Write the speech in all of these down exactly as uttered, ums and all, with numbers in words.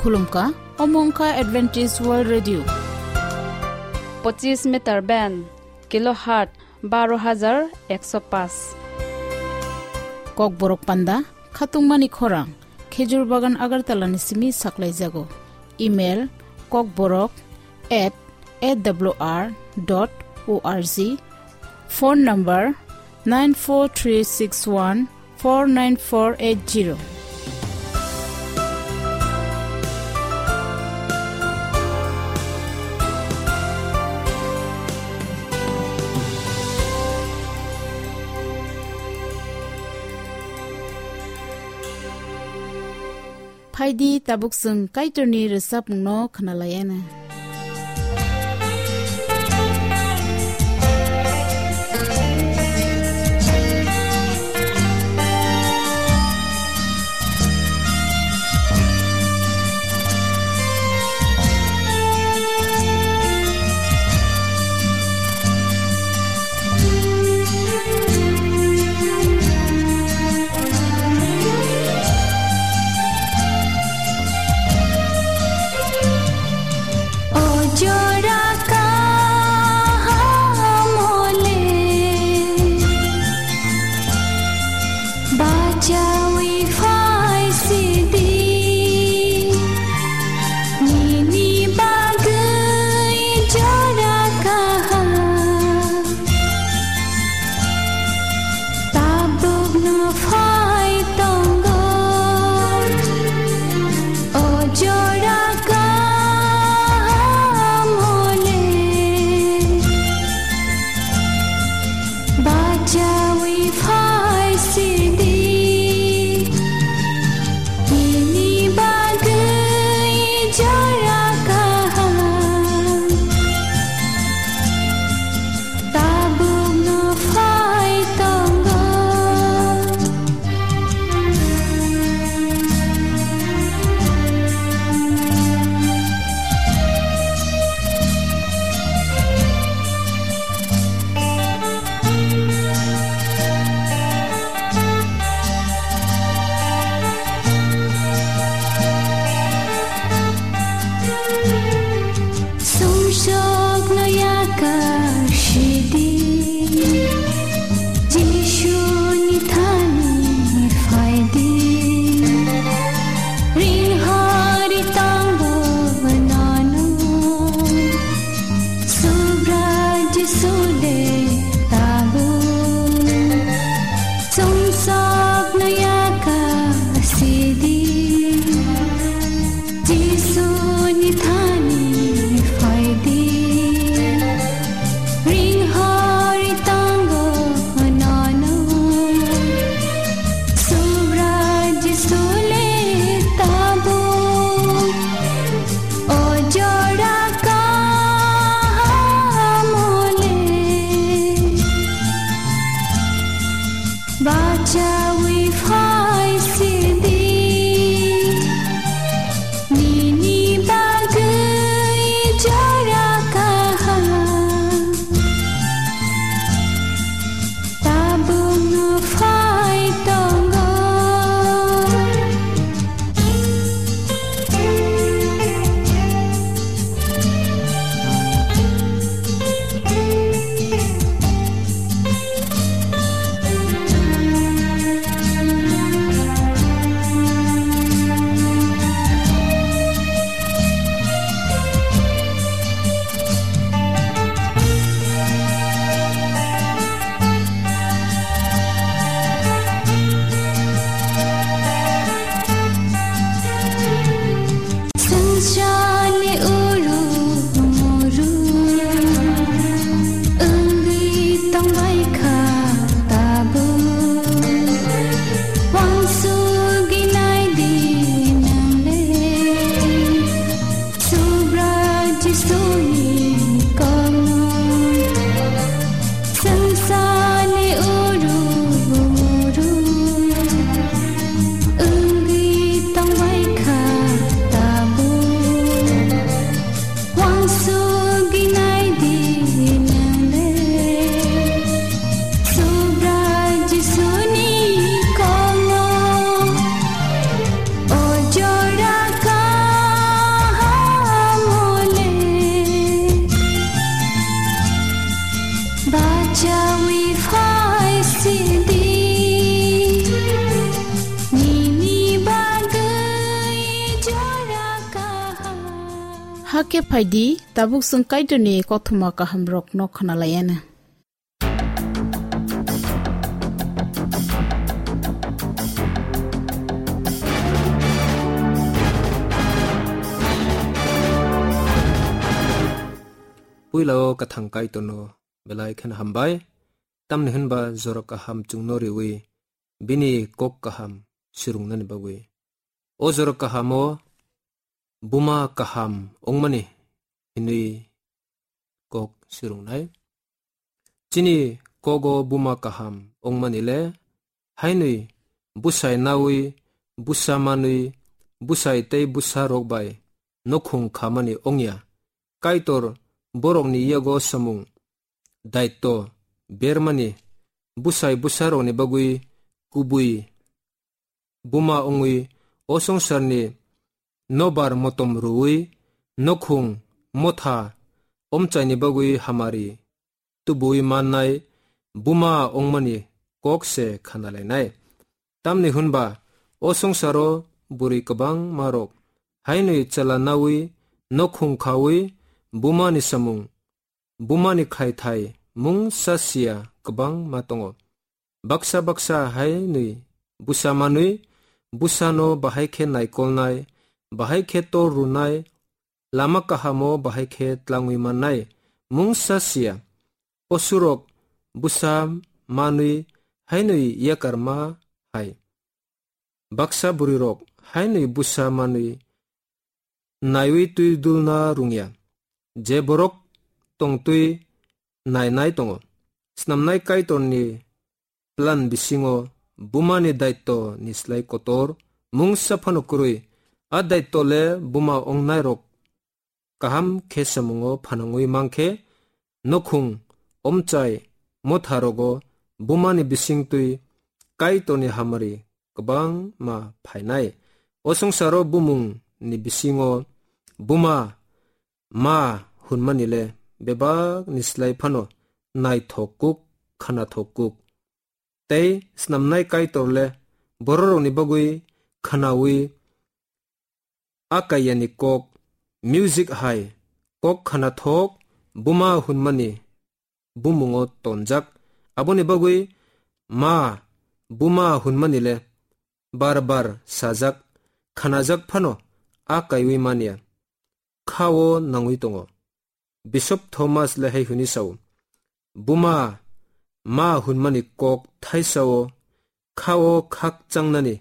Khulumkha, omo wngkha Adventist World Radio. Pochis meter band, kilohertz baro hajar ekso paanch. Kokborok panda, khatungmani khorang, Khejur Bagan Agartala ni simi saklaijago. Email, kokborok at A W R dot O R G. Phone number, nine four three six one four nine four eight zero. Phaidi, tabuk chwng Kaitorni rwchapmungno khwnalaiana. O jora kaham ole, bachaui phai sidi, nini bagwi jora kaham. Tabukno phai tongo, o jora kaham ole, bachaui phai sidi. Nini bagwi jora kaham, tabukno phai tongo. Sumsokno yakar sidi, Jisuni thani phaidi, ringhori tongo nono. Subra Jisu le tabuk, sumsokno yakar sidi, Jisuni thani phaidi, ringhori tongo nono. Subra Jisu le tabuk, o jora kaham ole, bachaui phai sidi, nini bagwi jora kaham. Tabukno phai tongo. Hakhe phaidi, tabuk chwng Kaitorni kothoma kahamrokno khwnalaianw. Puilao kwthang Kaitorno belai kheno hambai, tamni hwnba jora kaham chwngno riwi bini kok kaham swrwngnani bagwi. O jora kahamo buma kaham wngmani hwnwi kok swrwngnai. Chini kogo buma kaham wngmani le hainwi bwsai nawi, bwsa manwi, bwsai tei bwsa rok bai nokhung khamani wngya. Kaitor borokni yago samung daitto bermani bwsai bwsa rokni bagwi kubui buma wngwi o swngcharni nobar motom rwwi nokhung motha omchaini bagwi hamari tubui mannai buma wngmani kok se khanalainai. Tamni hwnba o swngcharo bwrwi kwbangma rok hainwi chwla nawi nokhung khawi bumani samung, bumani khlaithai mungsa siya kwbangma tongo. Baksa baksa hainwi bwsa manwi bwsano bahai khe naikolnai, bahai khe tor rwnai, lama kahamo bahai khe tlangwi mannai mungsa siya. Posurok bwsa manwi hainwi yakarma hai. Baksa bwrwirok hainwi bwsa manwi naiwi twi dulna rwngya, je borok tongtwi nainai tongo. Snamnai Kaitorni plan bisingo bumani daitto ni slai kotor mungsa phano kwrwi. A daitto le buma ongnairok kaham khe samungo phanangwi mankhe, nokhung, omchai, motha rogo bumani bisingtwi Kaitorni hamari kwbangma phainai. O swngcharo bumungni bisingo buma ma hwnmani le bebak ni slai phano naithok kuk, khwnathok kuk. Tei snamnai Kaitor le bororokni bagwi khwnawi a kaiyani kok, music hai kok khwnathok buma hwnmani bumungo tonjak. Aboni bagwi ma buma hwnmani le bar bar sajak, khanajak phano a kaiwi manya. Khao nangwi tongo. Bishop Thomas le hai hwnwi sao, buma ma hwnmani kok thaisao khao khakchangnani,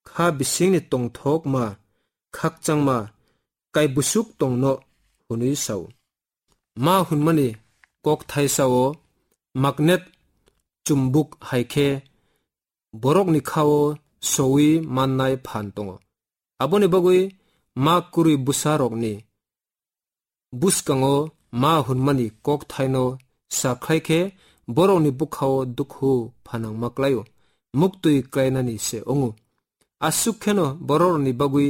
kha bisingni tongthokma khakchangma kaibusuk tongno hwnwi sao. Ma hwnmani kok thaisao magnet, chumbuk hai khe borokni khao sowi mannai phan tongo. Aboni bagwi ma kwrwi bwsarokni bwskango ma hwnmani kok thaino sa khlai khe borokni bwkhao dukhu phanangma klaio, muktwi klainani se wngo. Aswk kheno borokni bagwi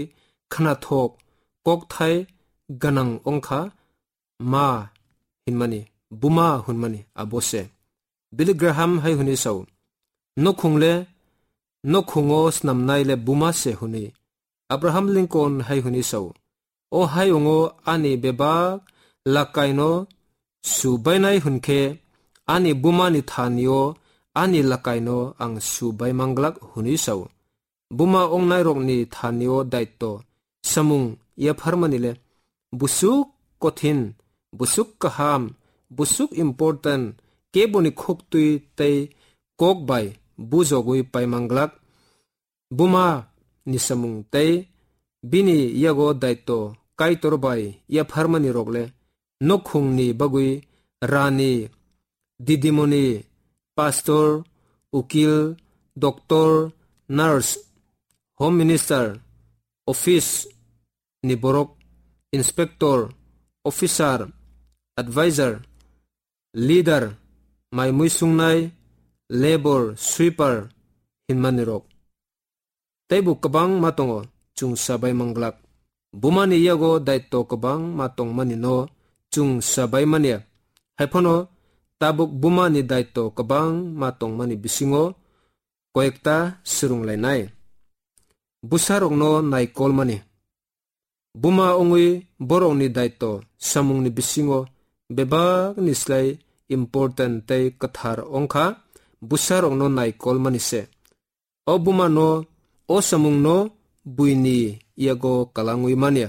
khwnathok kok thai gwnang wngkha ma hwnmani, buma hwnmani abo se. Billy Graham hai hwnwi sao, nokhung le, nokhungo snamnai le buma se hwnwi. Abraham Lincoln hai hwnwi sao, o hayungo ani bebak lakaino su bainai hwn khe, ani bumani thanio ani lakaino ang su bai manglak hwnwi sao. Buma ongnairokni thanio daitto samung yapharmani le busuk kothin, busuk kaham, busuk important, keboni khuktwi tei kok bai bujogwi paimanglak. Buma ni samung tei bini yago daitto Kaitor bai yapharmani rok le nokhungni bagwi rani, didimoni, pastor, ukil, doctor, nurse, home minister, office ni borok, inspector, officer, advisor, leader, mai mui sungnai, labour, sweeper hinmani rok. Teibo kwbangma tongo chwng sabai manglak. Bumani yago daitto kwbangma tongmani no chwng sabai manya. Haiphano tabuk bumani daitto kwbangma tongmani bisingo koyekta swrwnglainai. Bwsarokno naikolmani. Buma wngwi borokni daitw samungni bisingo bebakni slai important tei kwthar wngkha bwsarokno naikolmani se. O bumano o samungno buini yago kalangwi manya.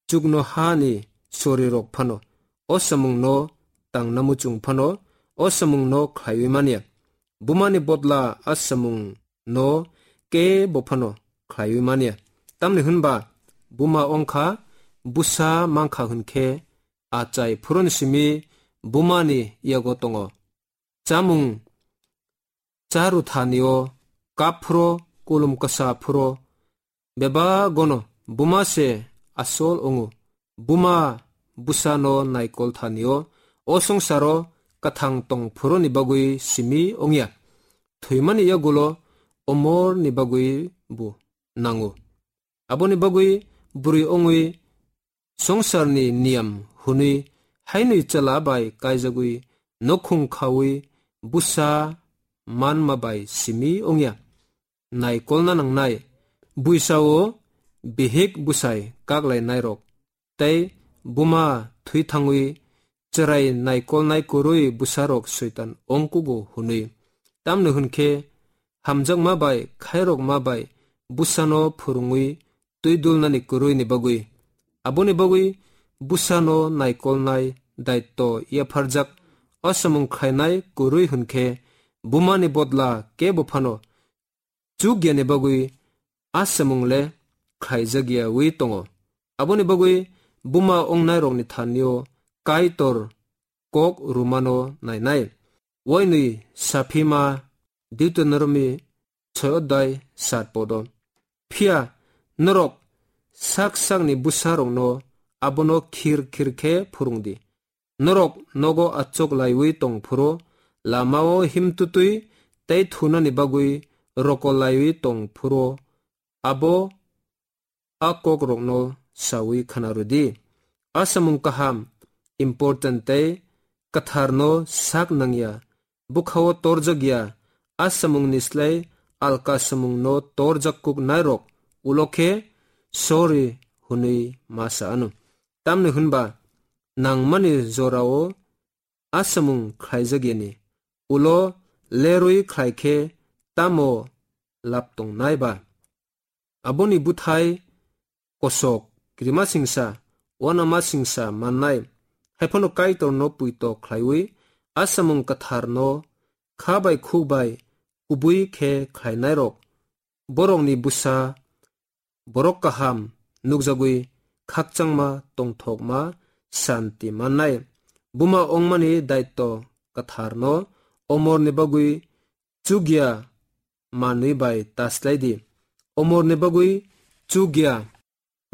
Chuknohani sorirok phano o samungno tangna muchung phano o samungno khlaiwi manya. Bumani bodla a samungno kebo phano khlaiwi manya. Tamni hwnba buma wngkha bwsa mankha hwnkhe achai phuruni simi bumani yago tongo. Chamung charuthanio kap phuro kulum kwsa phuro bebagono buma se asol wngo. Buma bwsano naikol thanio o songsaro kwthang tong phuroni bagwi simi wngya. Thwimani yagulo omorni bagwi bo nango. Aboni bagwi bwrwi wngwi songsarni niyam hwnwi hainwi chwla bai kaijagwi nokhung khaui bwsa manma bai simi wngya. Naikolna nangnai buisao bihik bwsai kaklainairok tei buma thwi thangwi chwrai naikolnai kwrwi bwsarok soitan ongkugo hwnwi. Tamni hwnkhe hamjakma bai khairokma bai bwsano phwrwngwi twi dulnani kwrwini bagwi. Aboni bagwi bwsano naikolnai daitw yapharjak o samung khlainai kwrwi hwnkhe bumani bodla kebo phano chukyani bagwi a samung le khlaijakyawi tongo. Aboni bagwi buma wngnairokni thanio Kaitor kok rwmano nainai. Wainwi saphima Deuteronomy soi odai sat podo. Phiya norok sak sakni bwsarokno abono khir khir khe phwrwngdi. Norok nogo achuk laiwi tong phuru, lamao himtutwi tei thunani bagwi rokol laiwi tong phuru, abo a kokrokno saui khna rwdi. A samung kaham, important tei kwtharno sak nangya, bwkhao torjakya, a samungni slai alka samungno torjak kuknairok ulo khe sorry hwnwi ma sa anw. Tamni hwnba nangmani jorao a samung khlaijakyani ulo lerwi khlai khe tamo lab tongnai ba? Aboni bwthai kosok, kirimasingsa, uanamasingsa mannai, hai phano Kaitorno puito khlaiwi a samung kwtharno kha bai khuk bai kubui khe khlainairok, borokni bwsa borok kaham nukjagwi khakchangma tongthokma santi mannai. Buma wngmani daitw kwtharno omorni bagwi chukya manwi bai ta slai di. Omorni bagwi chukya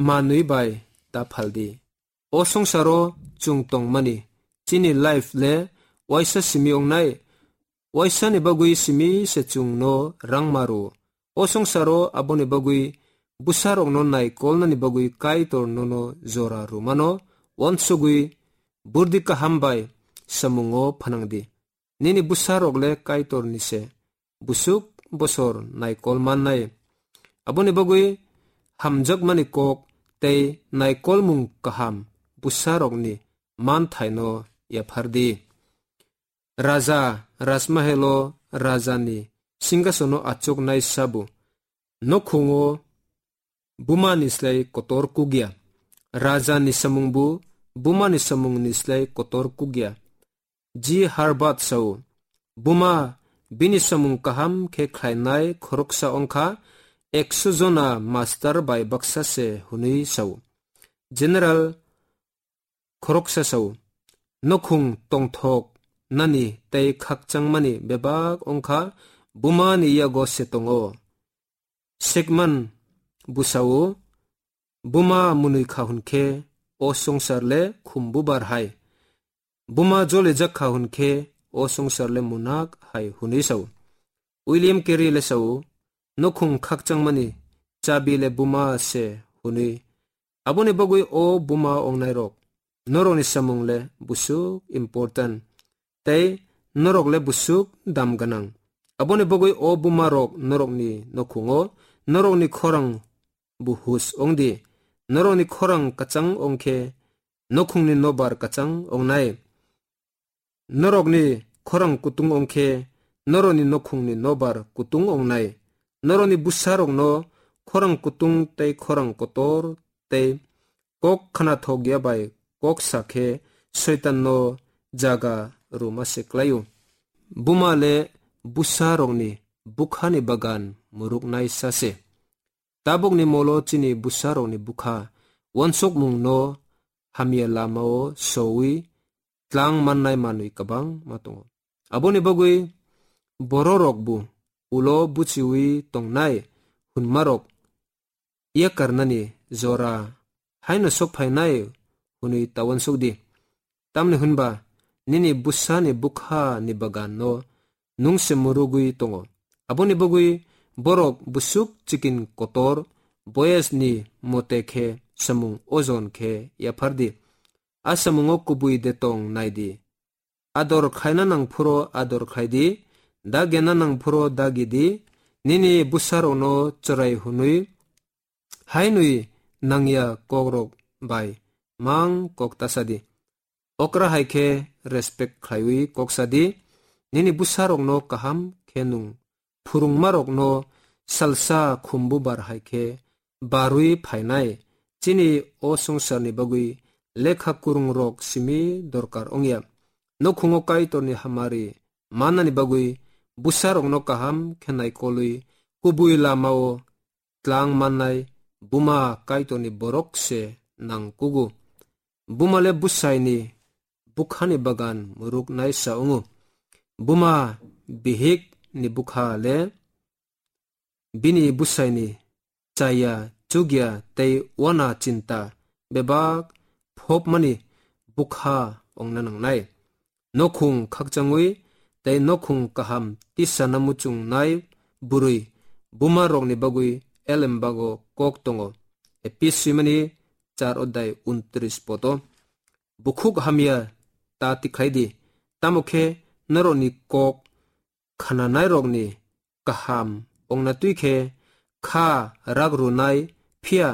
manwi bai ta phal di. O songsaro chwng tongmani chini life le waisa simi wngnai. Waisani bagwi simi se chwngno rang maru. O songsaro aboni bagwi bwsarokno naikolnani bagwi Kaitor nono jora rwmano uansugwi burdi kaham bai samungo phanang di. Nini bwsarok le Kaitorni se, busuk bosor naikol mannai. Aboni bagwi hamjakmani kok tei naikolmung kaham bwsarokni manthaino yaphar di. Raja rajmahelo rajani singhasono achuknai sabu, nokhungo bumani slai kotor kukya. Rajani samungbu bumani samungni slai kotor kukya. G Herbert sao, buma bini samung kaham khe khlainai khoroksa wngkha ekso jona master bai baksa se hwnwi sao. General khoroksa sao, nokhung tongthok nani tei khakchangmani bebak wngkha bumani yago se tongo. Sekman bwsao, buma mwnwi kha hwn khe o songsar le khum bubar hai. Buma jolijak kha hwn khe o songsar le munak hai hwnwi sao. William Carey le sao, nokhung khakchangmani chabi le buma se hwnwi. Aboni bagwi o buma wngnairok, norokni samung le busuk important tei norok le busuk dam gwnang. Aboni bagwi o buma rok norokni nokhungo norokni khorang buhus wngdi. Norokni khorang kwchang wng khe nokhungni nobar kwchang wngnai. Norokni khorang kutung wng khe norokni nokhungni nobar kutung wngnai. Norokni bwsarokno khorang kutung tei khorang kotor tei kok khnathok ya bai kok sa khe Soitanno jaga rwma se klai-o. Buma le bwsarokni bwkhani bagan muruknai sa se. Tabukni molo chini bwsarokni bwkha uansukmungno hamya lamao soui tlang mannai manwi kwbangma tongo. Aboni bagwi bororokbo ulo buchiui tongnai hwnmarok yakarnani jora haino sok phainai hwnwi ta uansuk di. Tamni hwnba nini bwsani bwkhani baganno nwng se murugwi tongo. Aboni bagwi borok bwswk chikin kotor boyesni mote khe samung ojon khe yaphar di. A samungo kubui de tong nai di. Ador khaina nang phuro ador khai di, dagena nang phuro dagi di, nini bwsarokno chwrai hwnwi hainwi nangya kokrok bai mang kok ta sa di. Okra hai khe respect khlaiwi kok sa di, nini bwsarokno kaham khe nung phwrwngmarokno salsa khumbubar hai khe barwi phainai. Chini o swngcharni bagwi lekha kwrwngrok simi dorkar wngya. Nokhungo Kaitorni hamari mannani bagwi bwsarokno kaham khe naikolwi kubui lamao tlang mannai buma Kaitorni borok se nang kugo. Buma le bwsaini bwkhani bagan muruknai sa wngo. Buma bihik ni bwkha le bini bwsaini chaya chukya tei uana chinta bebak phopmani bwkha wngna nangnai. Nokhung khakchangwi tei nokhung kaham tisana muchungnai bwrwi bumarokni bagwi elembago kok tongo. Epis swimani char odai untris poto. Bukhuk hamya ta tikhlai di, tamo khe norokni kok khnanairokni kaham ongna twi khe kha rak rwnai, phiya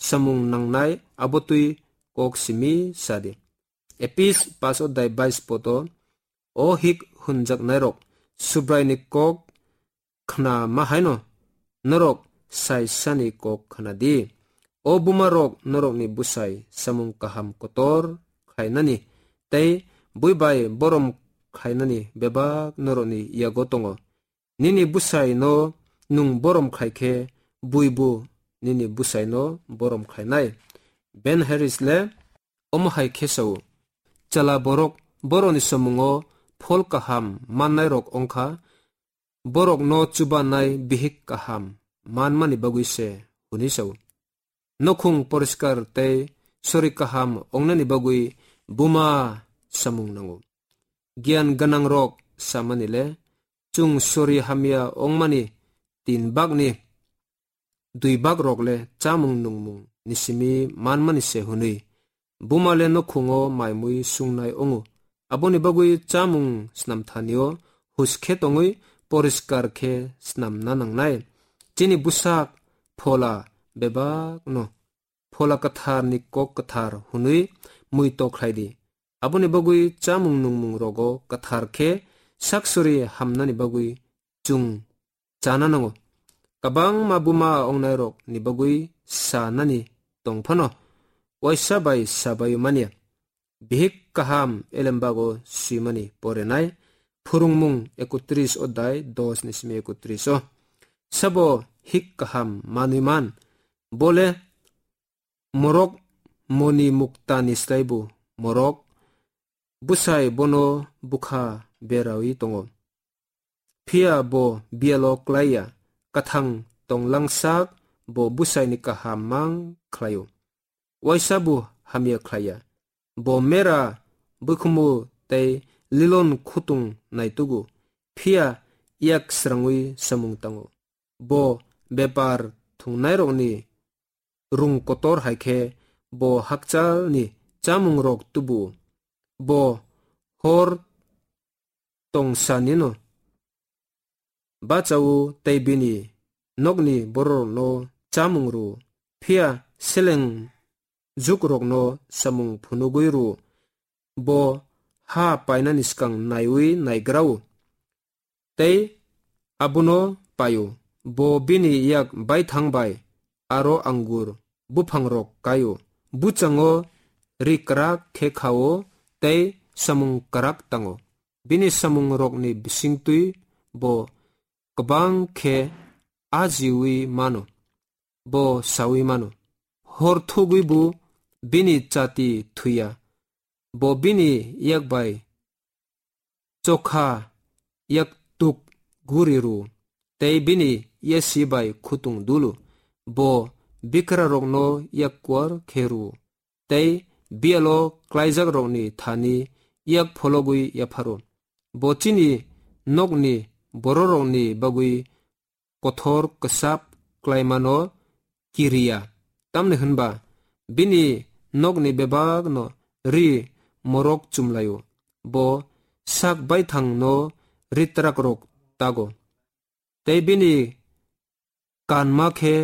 samung nangnai abo twi kok simi sa di. Epis pas odai bais poto. O hik hwnjaknairok, Subraini kok khna ma haino norok sai sani kok khna di. O bumarok, norokni bwsai samung kaham kotor khlainani tei bui bai borom khlainani bebak norokni yago tongo. Nini bwsaino nwng borom khlai khe, buibo nini bwsaino borom khlainai. Ben Harris le omo hai khe sao, Chwla borok borokni samungo phol kaham mannairok wng kha, borokno chubanai bihik kaham manmani bagwi se, hwnwi sao. Nokhung poriskar tei sori kaham wngnani bagwi buma samung nango. Giyan gwnangrok samani le, chwng sori hamya wngmani tin bagni dui bagrok le chamung nungmung ni simi manmani se hwnwi. Buma le nokhungo maimui sungnai wngo. Aboni bagwi chamung snamthanio huskhe tongwi poriskar khe snamna nangnai. Chini bwsak phola bebakno Phola Kwtharni kok kwthar hwnwi muitok khlai di. Aboni bagwi chamung nungmung rogo kwthar khe sak sori hamnani bagwi chwng chana nango. Kwbangma buma ongnairokni bagwi sanani tong phano, waisa bai sabai manya. Bihik kaham elembago swimani porenai. Phwrwngmung ekotris odai dos ni simi ekotris o. Sabo hik kaham manwi man? Bole morok moni muktani slaibo morok, bwsai bono bwkha berawi tongo. Phiya bo biyalo klaiya, kwthang tonglang sak bo bwsaini kaham mang khlaio. Waisa bo hamya khlaiya. Bo mera bwkhumu tei lilon khutung naitugo, phiya yak srangwi samung tango. Bo bepar thwngnairokni rung kotor hai khe bo hakchalni chamungrok tubu. Bo hor tongsanino bachao tei bini nokni bororokno chamung rw, phiya seleng jukrokno samung phunugwi rw-o. Bo ha painani swkang naiwi naigra-o, tei abono pai-o. Bo bini yak baithang bai aro angur buphangrok kai-o. Buchango ri kwrak khe kha-o tei samung kwrak tango. Bini samungrokni bisingtwi bo kwbang khe ajiui mano, bo saui mano. Hor thugwibo bini chati thwiya. Bo bini yak bai chokha yak tuk guri rw-o, tei bini yasi bai khutung dulu. Bo bikrarokno yak kuar khe rw-o, tei biyalo klaijakrokni thani yak phologwi yapharo. Bo chini nokni bororokni bagwi kothor kwchap klaimano kiriya, tamni hwnba bini nokni bebakno ri morok chumlaio. Bo sak baithangno ri trakrok tago, tei bini kanma khe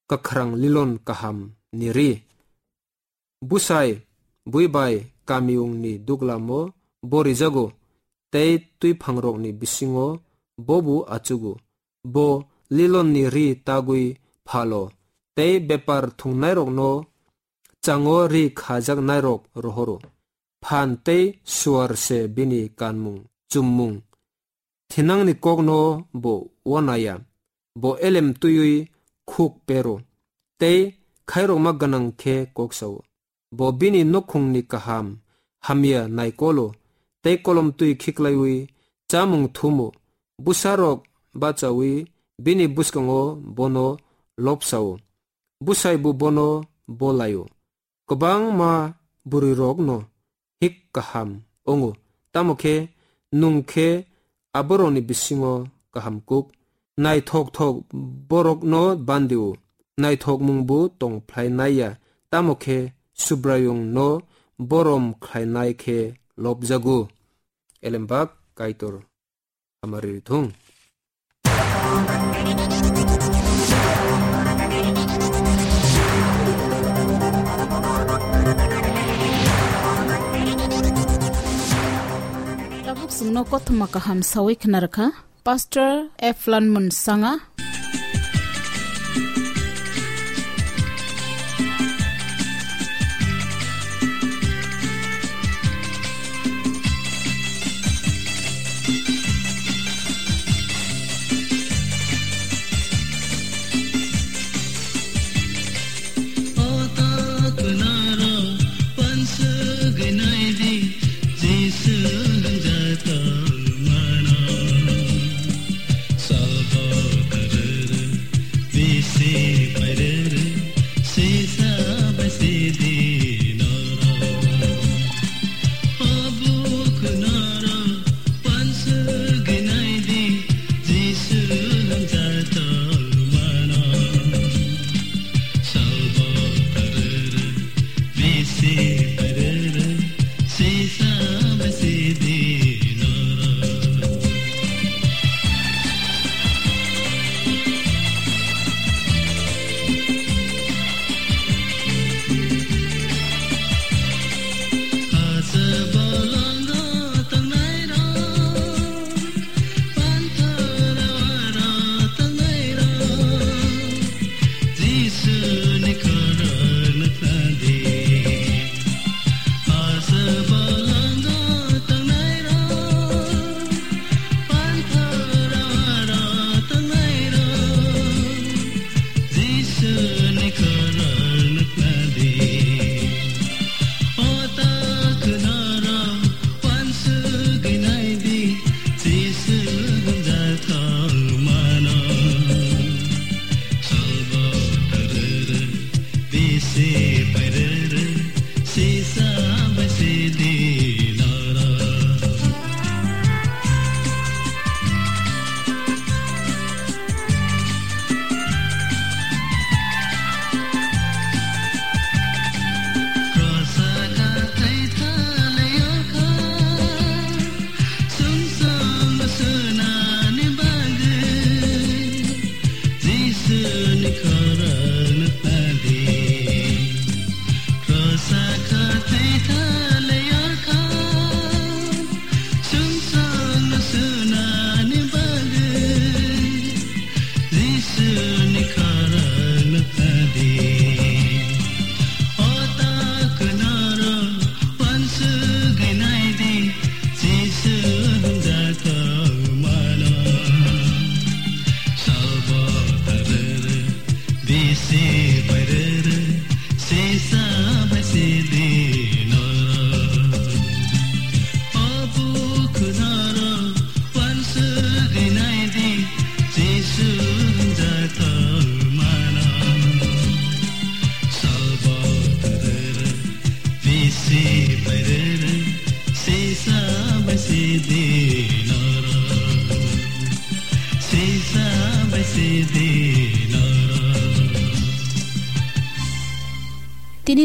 kwkhrang lilon kaham ni ri. Bwsai bui bai kamiyungni duglamo bo rijago, tei twiphangrokni bisingo bobo achugo. Bo lilonni ri tagwi phalo, tei bepar thwngnairokno chango ri khajaknairok rohoro. Phan tei suar se bini kanmung, chummung. Thinangni kokno bo uanaya, bo elem twiwi khuk pero, tei khairokma gwnang khe kok sao. Bo bini nukhungni kaham hamya naikolo, tei kolom twi khiklaiwi chamung thumo. Bwsarok bachaui bini bwskango bono lobsao, bwsaibo bono bolaio. Kwbangma bwrwirokno hik kaham wngo, tamo khe nwng khe aborokni bisingo kaham kuk. Naithok thok borokno bandi-o, naithokmungbo tong phlai nai ya, tamo khe Subraiyungno borom khlainai khe lobjago. Elembak Kaitor hamari rithung. Tabuk chwngno kothoma kaham sawi khna rwkha Pastor Eflan Munsanga.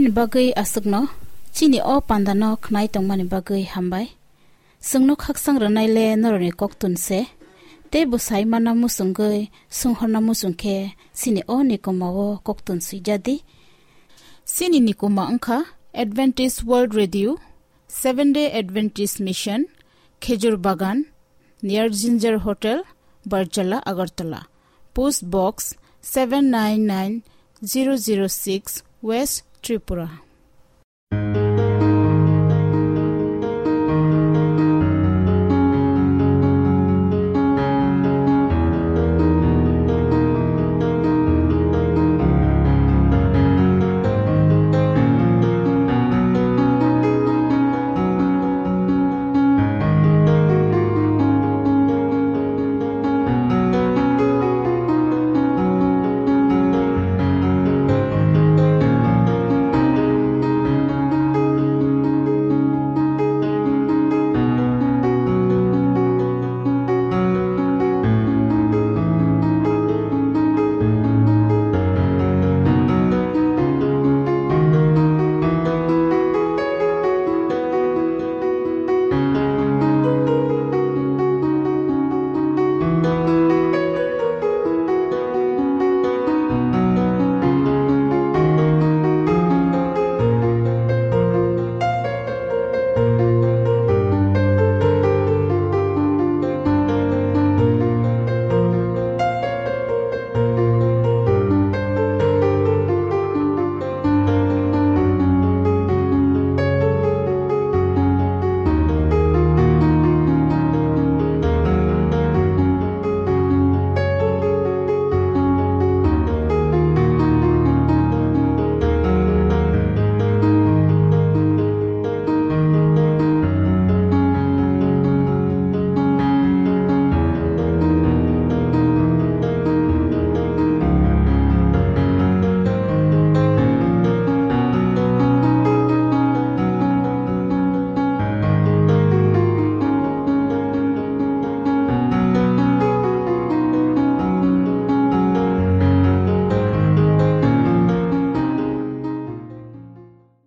Nini bagwi aswkno chini o pandano khnai tongmani bagwi hambai. Chwngno khaksang rwnaile norokni koktun se. Tei bwsai mana muchungwi, swnghorna muchung khe chini o nikoma o koktun swijadi. Chini nikoma wngkha Adventist World Radio, Seventh Day Adventist Mission, Khejur Bagan, near Ginger Hotel, Barjala, Agartala. Post Box seven nine nine zero zero six, West Tripura.